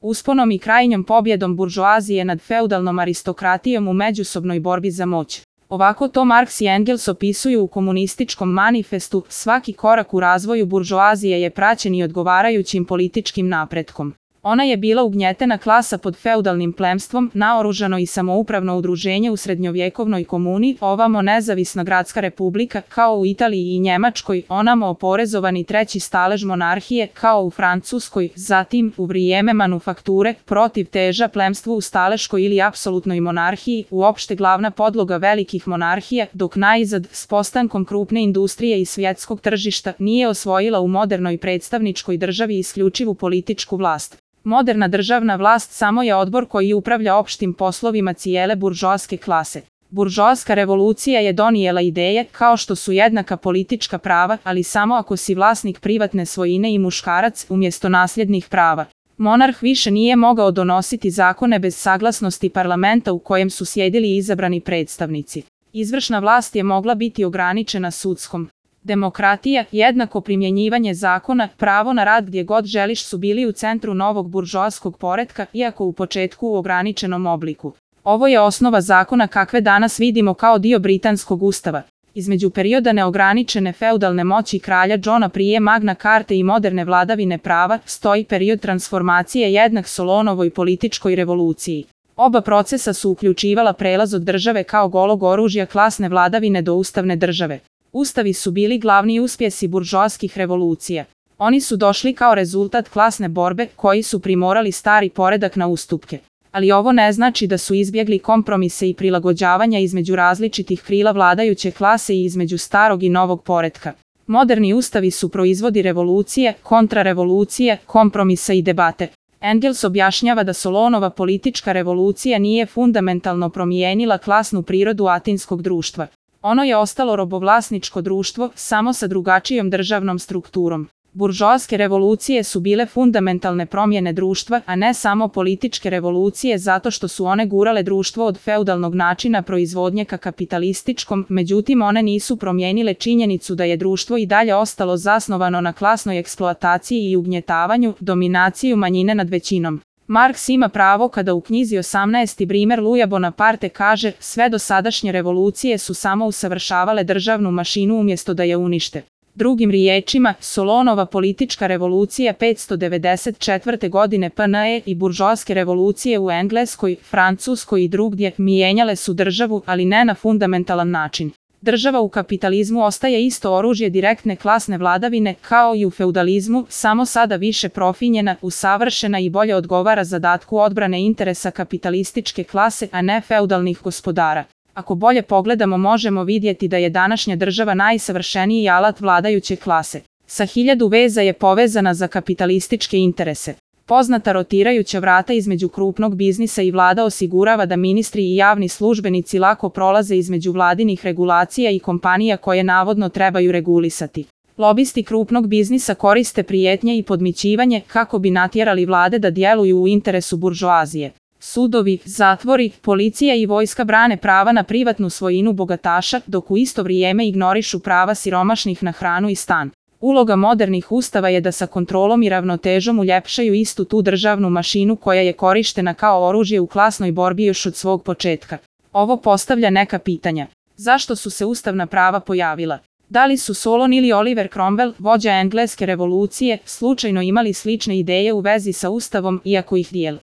usponom i krajnjom pobjedom buržoazije nad feudalnom aristokratijom u međusobnoj borbi za moć. Ovako to Marks i Engels opisuju u Komunističkom manifestu, svaki korak u razvoju buržoazije je praćen i odgovarajućim političkim napretkom. Ona je bila ugnjetena klasa pod feudalnim plemstvom, naoružano i samoupravno udruženje u srednjovjekovnoj komuni, ovamo nezavisna gradska republika, kao u Italiji i Njemačkoj, onamo oporezovani treći stalež monarhije, kao u Francuskoj, zatim, u vrijeme manufakture, protiv teža plemstvu u staleškoj ili apsolutnoj monarhiji, uopšte glavna podloga velikih monarhija, dok najzad, s postankom krupne industrije i svjetskog tržišta, nije osvojila u modernoj predstavničkoj državi isključivu političku vlast. Moderna državna vlast samo je odbor koji upravlja opštim poslovima cijele buržoaske klase. Buržoaska revolucija je donijela ideje kao što su jednaka politička prava, ali samo ako si vlasnik privatne svojine i muškarac umjesto nasljednih prava. Monarh više nije mogao donositi zakone bez saglasnosti parlamenta u kojem su sjedili izabrani predstavnici. Izvršna vlast je mogla biti ograničena sudskom. Demokratija, jednako primjenjivanje zakona, pravo na rad gdje god želiš su bili u centru novog buržoaskog poretka, iako u početku u ograničenom obliku. Ovo je osnova zakona kakve danas vidimo kao dio britanskog ustava. Između perioda neograničene feudalne moći kralja Johna prije Magna Carte i moderne vladavine prava stoji period transformacije jednak Solonovoj političkoj revoluciji. Oba procesa su uključivala prelaz od države kao golog oružja klasne vladavine do ustavne države. Ustavi su bili glavni uspjesi buržoaskih revolucija. Oni su došli kao rezultat klasne borbe koji su primorali stari poredak na ustupke. Ali ovo ne znači da su izbjegli kompromise i prilagođavanja između različitih krila vladajuće klase i između starog i novog poretka. Moderni ustavi su proizvodi revolucije, kontrarevolucije, kompromisa i debate. Engels objašnjava da Solonova politička revolucija nije fundamentalno promijenila klasnu prirodu atinskog društva. Ono je ostalo robovlasničko društvo, samo sa drugačijom državnom strukturom. Buržoaske revolucije su bile fundamentalne promjene društva, a ne samo političke revolucije zato što su one gurale društvo od feudalnog načina proizvodnje ka kapitalističkom, međutim one nisu promijenile činjenicu da je društvo i dalje ostalo zasnovano na klasnoj eksploataciji i ugnjetavanju, dominaciju manjine nad većinom. Marks ima pravo kada u knjizi 18. Brimer Louisa Bonaparte kaže, sve dosadašnje revolucije su samo usavršavale državnu mašinu umjesto da je unište. Drugim riječima, Solonova politička revolucija 594. godine PNE i buržoaske revolucije u Engleskoj, Francuskoj i drugdje mijenjale su državu, ali ne na fundamentalan način. Država u kapitalizmu ostaje isto oružje direktne klasne vladavine kao i u feudalizmu, samo sada više profinjena, usavršena i bolje odgovara zadatku odbrane interesa kapitalističke klase, a ne feudalnih gospodara. Ako bolje pogledamo možemo vidjeti da je današnja država najsavršeniji alat vladajuće klase. Sa 1000 veza je povezana za kapitalističke interese. Poznata rotirajuća vrata između krupnog biznisa i vlada osigurava da ministri i javni službenici lako prolaze između vladinih regulacija i kompanija koje navodno trebaju regulisati. Lobisti krupnog biznisa koriste prijetnje i podmićivanje kako bi natjerali vlade da djeluju u interesu buržoazije. Sudovi, zatvori, policija i vojska brane prava na privatnu svojinu bogataša, dok u isto vrijeme ignorišu prava siromašnih na hranu i stan. Uloga modernih ustava je da sa kontrolom i ravnotežom uljepšaju istu tu državnu mašinu koja je korištena kao oružje u klasnoj borbi još od svog početka. Ovo postavlja neka pitanja. Zašto su se ustavna prava pojavila? Da li su Solon ili Oliver Cromwell, vođa engleske revolucije, slučajno imali slične ideje u vezi sa ustavom, iako ih dijeli?